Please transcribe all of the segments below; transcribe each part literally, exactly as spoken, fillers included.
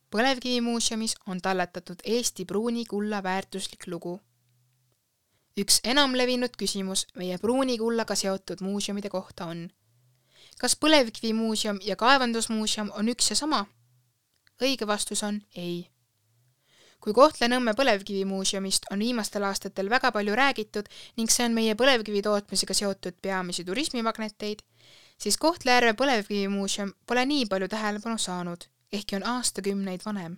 Põlevkivimuuseumis on talletatud Eesti pruuni kulla väärtuslik lugu. Üks enamlevinud küsimus meie pruuni kullaga seotud muuseumide kohta on: kas Põlevkivimuuseum ja Kaevandusmuuseum on üks ja sama? Õige vastus on ei. Kui Kohtla-Nõmme Põlevkivimuuseumist on viimastel aastatel väga palju räägitud ning see on meie põlevkivi tootmisega seotud peamisi turismimagneteid, siis Kohtla-Järve Põlevkivimuuseum pole nii palju tähelepanu saanud, ehkki on aastakümneid vanem.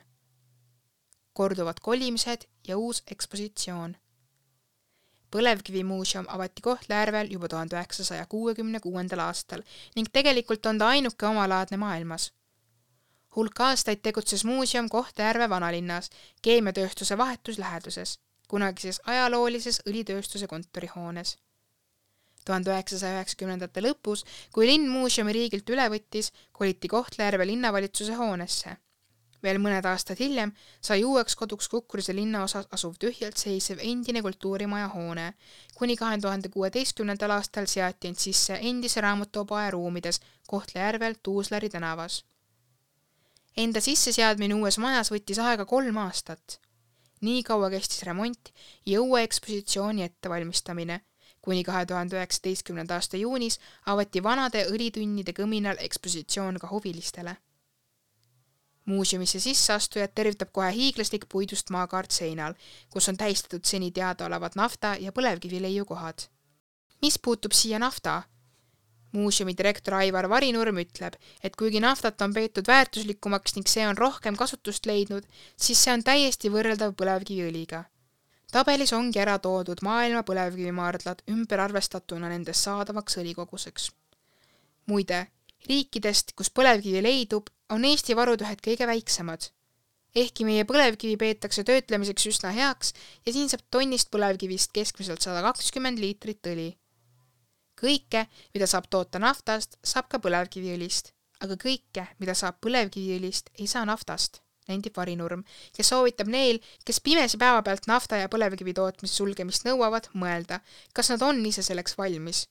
Korduvad kolimised ja uus ekspositsioon. Põlevkivimuuseum avati Kohtla-Järvel juba tuhande üheksasaja kuuekümne kuuendal aastal ning tegelikult on ta ainuke omalaadne maailmas. Hulk aastaid tegutses muuseum Kohtla-Järve vanalinnas, keemiatööstuse vahetusläheduses, kunagises ajaloolises õlitööstuse kontorihoones. tuhande üheksasaja üheksakümnendate lõpus, kui linn muuseumi riigilt üle võttis, koliti Kohtla-Järve linnavalitsuse hoonesse. Veel mõned aastad hiljem sai uueks koduks Kukkurise linnaosas asuv tühjalt seisev endine kultuurimaja hoone, kuni kahe tuhande kuueteistkümnendal aastal seati end sisse endise raamatupoe ruumides Kohtla-Järvel Tuuslari tänavas. Enda sisseseadmine uues majas võttis aega kolm aastat. Nii kaua kestis remont ja uue ekspositsiooni ettevalmistamine, kuni kahe tuhande üheksateistkümnenda aasta juunis avati vanade õlitünnide kõminal ekspositsioon ka huvilistele. Muuseumisse sisseastujad tervitab kohe hiiglaslik puidust maakaart seinal, kus on tähistatud seni teadaolevad nafta- ja põlevkivileiukohad. Mis puutub siia nafta? Muuseumi direktor Aivar Varinurm ütleb, et kuigi naftat on peetud väärtuslikumaks ning see on rohkem kasutust leidnud, siis see on täiesti võrreldav põlevkiviõliga. Tabelis ongi ära toodud maailma põlevkivimaardlad ümber arvestatuna nendest saadavaks õlikoguseks. Muide, riikidest, kus põlevkivi leidub, on Eesti varud ühed kõige väiksemad. Ehkki meie põlevkivi peetakse töötlemiseks üsna heaks ja siin saab tonnist põlevkivist keskmiselt sada kakskümmend liitrit õli. Kõike, mida saab toota naftast, saab ka põlevkiviõlist, aga kõike, mida saab põlevkiviõlist, ei saa naftast, nendib Varinurm, kes soovitab neil, kes pimesi päeva pealt nafta ja põlevkivi tootmise sulgemist nõuavad, mõelda, kas nad on ise selleks valmis.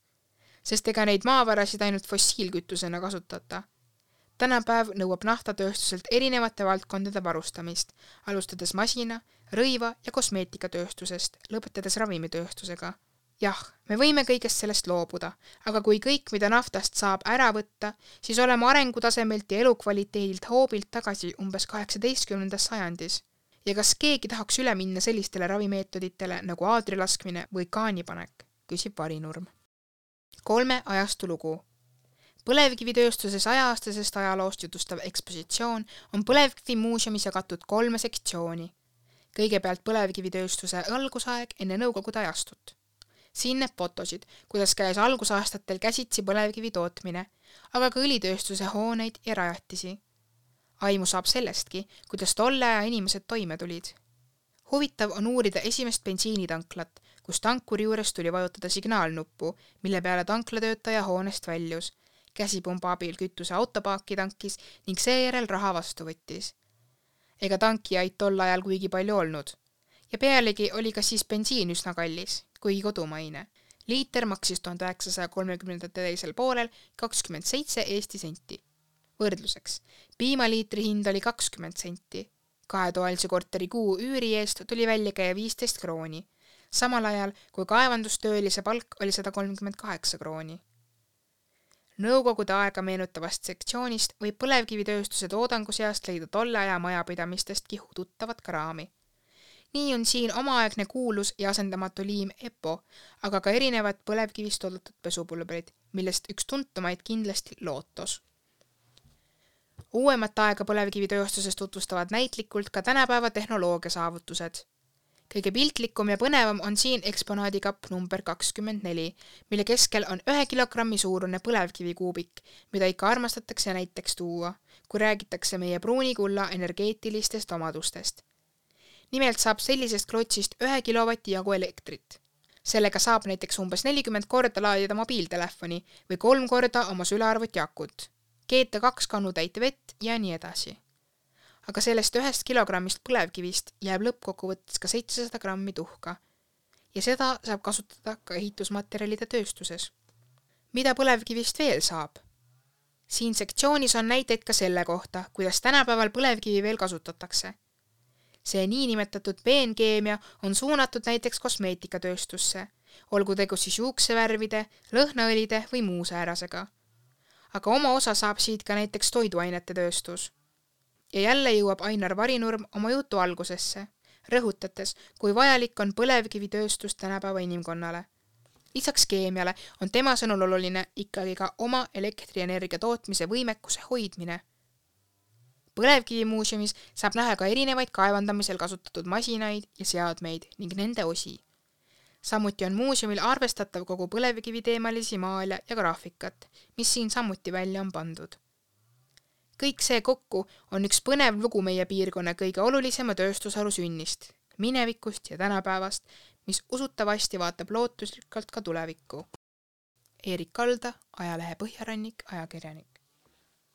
Sest ega neid maavarasid ainult fossiilkütusena kasutata. Tänapäev nõuab naftatööstuselt erinevate valdkondade varustamist, alustades masina, rõiva ja kosmeetikatööstusest, lõpetades ravimitööstusega. Jah, me võime kõigest sellest loobuda, aga kui kõik, mida naftast saab ära võtta, siis oleme arengutasemelt ja elukvaliteedilt hoobilt tagasi umbes kaheksateistkümnendas sajandis. Ja kas keegi tahaks üle minna sellistele ravimeetoditele nagu aadrilaskmine või kaanipanek, küsib Varinurm. Kolme ajastu lugu. Põlevkivitööstuses aja-aastasest ajaloost jutustav ekspositsioon on Põlevkivimuuseumis jagatud kolme sektsiooni. Kõigepealt põlevkivitööstuse algusaeg enne nõukogude ajastut. Siin näeb fotosid, kuidas käis algusaastatel käsitsi põlevkivi tootmine, aga ka õlitööstuse hooneid ja rajatisi. Aimu saab sellestki, kuidas tolle aja inimesed toime tulid. Huvitav on uurida esimest bensiinitanklat, kus tankuri juures tuli vajutada signaalnuppu, mille peale tanklatöötaja hoonest väljus, käsipumba abil kütuse autopaaki tankis ning seejärel raha vastu võttis. Ega tankijaid tol ajal kuigi palju olnud. Ja pealegi oli ka siis bensiin üsna kallis, kuigi kodumaine. Liiter maksis tuhande üheksasaja kolmekümnendate teisel poolel kakskümmend seitse Eesti senti. Võrdluseks, piimaliitri hind oli kakskümmend senti. Kahetoalise korteri kuu üüri eest tuli välja käia viisteist krooni, samal ajal kui kaevandustöölise palk oli sada kolmkümmend kaheksa krooni. Nõukogude aega meenutavast sektsioonist võib põlevkivitööstuse toodangu seast leida tolle aja majapidamistestki tuttavat kraami. Nii on siin omaaegne kuulus ja asendamatu liim Epo, aga ka erinevad põlevkivist toodetud pesupulbrid, millest üks tuntumaid kindlasti Lootos. Uuemat aega põlevkivitööstuses tutvustavad näitlikult ka tänapäeva tehnoloogia saavutused. Kõige piltlikum ja põnevam on siin eksponaadikapp number kakskümmend neli, mille keskel on ühe kilogrammi suurune põlevkivikuubik, mida ikka armastatakse näiteks tuua, kui räägitakse meie pruunikulla energeetilistest omadustest. Nimelt saab sellisest klotsist ühe kilovati jagu elektrit. Sellega saab näiteks umbes nelikümmend korda laadida mobiiltelefoni või kolm korda oma sülearvuti akut, keeta kaks kannu täit vett ja nii edasi. Aga sellest ühest kilogrammist põlevkivist jääb lõppkokkuvõttes ka seitsesada grammi tuhka ja seda saab kasutada ka ehitusmaterjalide tööstuses. Mida põlevkivist veel saab? Siin sektsioonis on näiteid ka selle kohta, kuidas tänapäeval põlevkivi veel kasutatakse. See niinimetatud peenkeemia on suunatud näiteks kosmeetikatööstusse, olgu tegu siis juuksevärvide, lõhnaõlide või muu säärasega. Aga oma osa saab siit ka näiteks toiduainete tööstus. Ja jälle jõuab Ainar Varinurm oma jutu algusesse, rõhutates, kui vajalik on põlevkivitööstus tänapäeva inimkonnale. Lisaks keemiale on tema sõnul oluline ikkagi ka oma elektrienergia tootmise võimekuse hoidmine. Põlevkivimuuseumis saab näha ka erinevaid kaevandamisel kasutatud masinaid ja seadmeid ning nende osi. Samuti on muuseumil arvestatav kogu põlevkivi teemalisi maale ja graafikat, mis siin samuti välja on pandud. Kõik see kokku on üks põnev lugu meie piirkonna kõige olulisema tööstusharu sünnist, minevikust ja tänapäevast, mis usutavasti vaatab lootuslikult ka tulevikku. Eerik Kalda, ajalehe Põhjarannik, ajakirjanik.